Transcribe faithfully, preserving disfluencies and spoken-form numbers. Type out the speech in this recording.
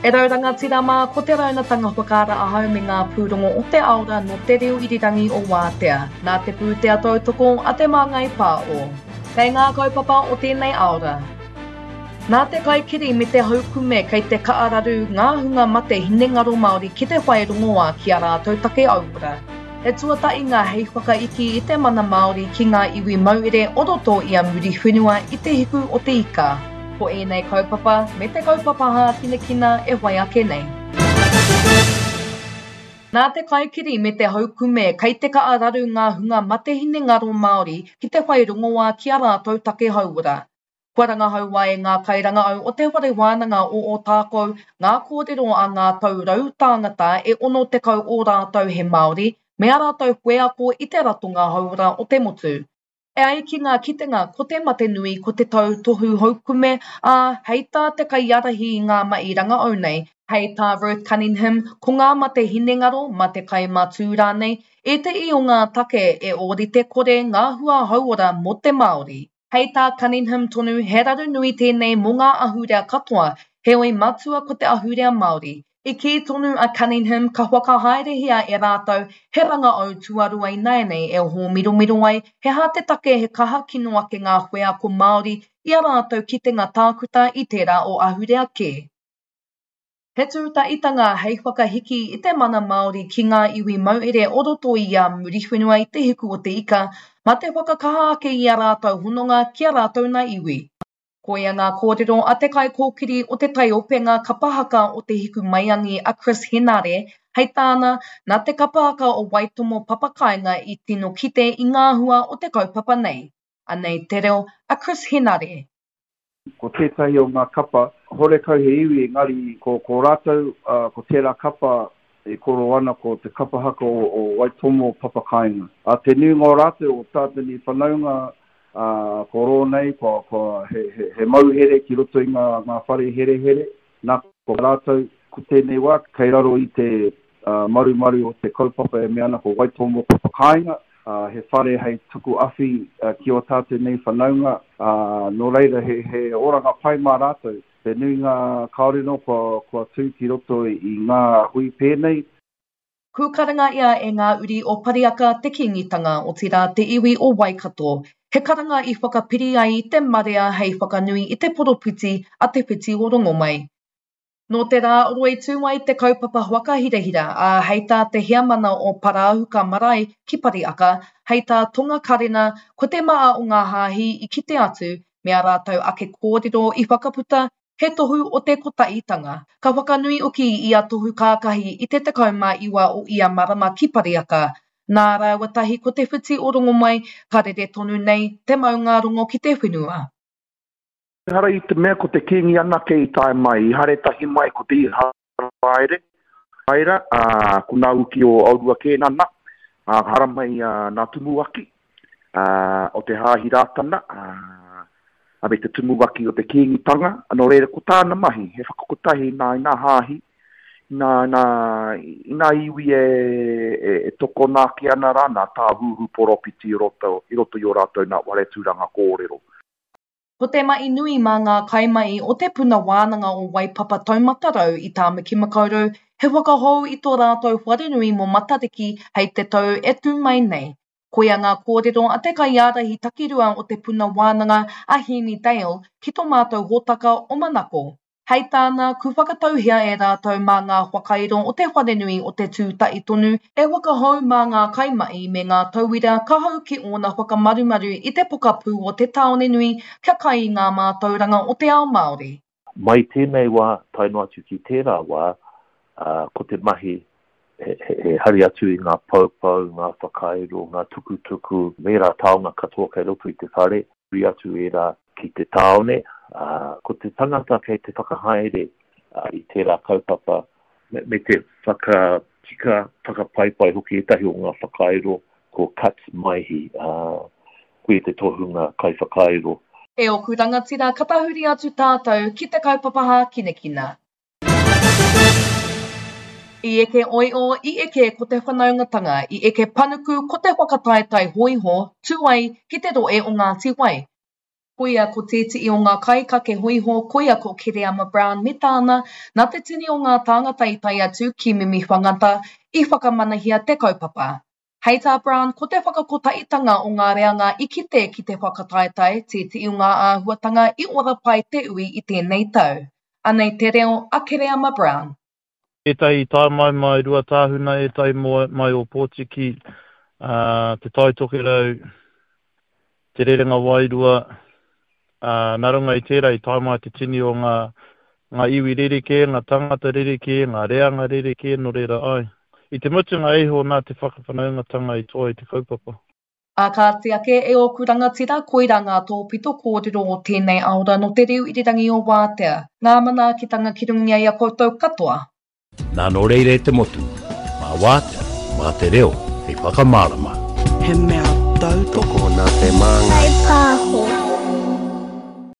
E rau rangatira mā, ko te raunatanga whakaara ahau me ngā pūrongo o te aora no te reo irirangi o Wātea, nā te pūtea tautoko a te Māngai Pāo. Kei ngā kaupapa o tēnei aora. Nā te kaikiri me te haukume kei te kaararu ngā hunga mate hinengaro Māori ki te whai rongoā ki a rātou take auora. He tuatainga hei whakaiki i te mana Māori ki ngā iwi mauere o roto i a Muriwhenua i te hiku o te ika. Ko ēnei kaupapa me te kaupapa hākinakina e whai ake nei. Nā te kaikiri me te haukume kei te kaararu ngā hunga mate hinengaro Māori ki te whai rongoā ki a rātou take hauora. Kua rangahaua e ngā kairangahau o te whare wānanga o Ōtākou ngā kōrero a ngā tau rau tāngata e ono tekau o rātou he Māori me a rātou wheako i te ratonga hauora o te motu. E ai ki ngā kitenga ko te mate nui ko te tautohu haukume, ā, hei tā te kaiārahi i ngā mahi rangahau nei, hei tā Ruth Cunningham, ko ngā mate hinengaro, mate kai matū rānei, ētehi o ngā take e ōrite kore ngā hua hauora mō te Māori. Hei tā Cunningham tonu, he raru nui tēnei mō ngā ahurea katoa, heoi matua ko te ahurea Māori. I kī tonu a Cunningham ka whakahaerehia e rātou he rangahau tuarua ināianei e hōmiromiro ai he aha te take he kaha kino ake ngā wheako Māori i a rātou kitenga tākuta i tērā o ahurea kē. He tūtaitanga hei whakahiki i te mana Māori ki ngā iwi mauere o roto i a Muriwhenua i te hiku o te ika, mā te whakakaha ake i a rātou hononga ki a rātou nā iwi. Koia ngā kōrero a te kaikōkiri o te taiopenga kapa haka o te Hikumaiangi a Chris Henare, hei tāna, nā te kapa haka o Waitomo Papakāinga i tino kite i ngā hua o te kaupapa nei. Anei te reo a Chris Henare. Ko tētahi o ngā kapa, horekau he iwi engari ko, ko rātou, uh, ko tērā kapa e koro ana ko te kapa haka o, o Waitomo Papakāinga. A te nuinga o rātou o tātou nei whanaunga, uh, ko rō nei, ko, ko he, he, he mauhere ki roto i ngā, ngā whare herehere, nā ko rātou, ko tēnei wā, kei raro i te uh, marumaru o te kaupapa e mea ana ko Waitomo Papakāinga, uh, he whare hei tuku awhi uh, ki o tātou nei whanaunga, uh, nō reira he, he oranga pai mā rātou. Te nuinga kāore nō kua, kua tū ki roto i, i ngā hui pēnei. Kūkaranga ia e ngā uri o Pariaka te Kīngitanga, otirā te iwi o Waikato. He karanga i whakapiri ai i te marea hei whakanui i te poropiti a Te Whiti o Rongomai. Nō te rā roi tū ai te kaupapa whakahirahira, ā, hei tā te heamana o Parāhuka Marae ki Pariaka, hei tā Tonga Karena, ko te maha o ngā hāhi i kite atu, me a rātou ake kōrero i whakaputa, he tohu o te kotahitanga. Ka whakanui hoki i a Tohu Kākahi i te tekau mā iwa o ia marama ki Pariaka. Nā rāua tahi ko Te Whiti o Rongomai, ka rere tonu nei te maungārongo ki te whenua. Ehara i te mea ko te Kīngi anake i tae mai, i haere tahi mai ko te Iharaere, Aira, ā, ko nā uki o Aurua Kēnana, ā, haramai ā, nā Tumuaki, ā, o te Hāhi Rātana, ā, a me te Tumuaki o te Kīngitanga, nō reira ko tāna mahi, he whakakotahi nā i nā hāhi, nā, nā, i nā iwi e, e, e tokona ake ana rā, nā tāhuhu poropiti i roto, i roto i o rātou nā whare tūranga kōrero. Ko te mahi nui mā ngā kaimahi o te puna wānanga o Waipapa Taumata Rau i Tāmaki Makaurau, he whakahou i tō rātou wharenui mō Matariki hei te tau e tū mai nei. Koia ngā kōrero a te kaiārahi takirua o te puna wānanga a Hemi Dale ki tō mātou hōtaka o Manako. Hei tāna, ku whakatauhia e rātou mā ngā whakairo o te wharenui o te tūtahi tonu e whakahou mā ngā kaimahi me ngā tauira ka hau ki ōna whakamarumaru i te pokapū o te tāone nui kia kai i ngā mātauranga o te ao Māori. Mai tēnei wā, tae noa atu ki tērā wā, uh, ko te mahi he, he, he hari atu i ngā poupou, ngā whakairo, ngā tukutuku, me rā taonga katoa kei roto i te whare, huri atu e rā ki te tāone. Uh, ko te tangata kei te whakahaere uh, i tērā kaupapa, me, me te whakatika, whakapaipai hoki ētahi o ngā whakairo, ko Kat Maihi, uh, koe te tohunga kaiwhakairo. E oku rangatira, ka tahuri atu tātou ki te kaupapa hākinakina. I eke oio, i eke ko te whanaungatanga, i eke panuku ko te whakataetae hōiho, tū ai ki te rohe o Ngāti Wai. Koia ko tētehi o ngā kaikake hōiho, koia ko Kereama Brown me tāna, nā te tini o ngā tāngata i tae atu ki Mimiwhangata i whakamanahia te kaupapa. Hei tā Brown, ko te whakakotahitanga o ngā reanga i kite ki te whakataetae tētehi o ngā āhuatanga i ora pai te ui i tēnei tau. Anei te reo a Kereama Brown. Ētahi i tae mai mai Ruatāhuna, ētahi mai Ōpōtiki, uh, Te Tai Tokerau, Te Rerenga Wairua, uh, nā runga i tērā i tae mai te tini o ngā, ngā iwi rerekē, ngā tangata rerekē, ngā reanga rerekē, nō reira ai. I te mutunga iho nā te whakawhanaungatanga i toa i te kaupapa. Ā kāti ake e ōku rangatira, koirā ngā tōpito kōrero o tēnei aora nō te reo irirangi o Wātea. Ngā manaakitanga ki runga i a koutou katoa. Nā nō reira e te motu, mā Wātea, mā te reo, hei whakamārama. He mea tautoko nā te māngai. Pāho.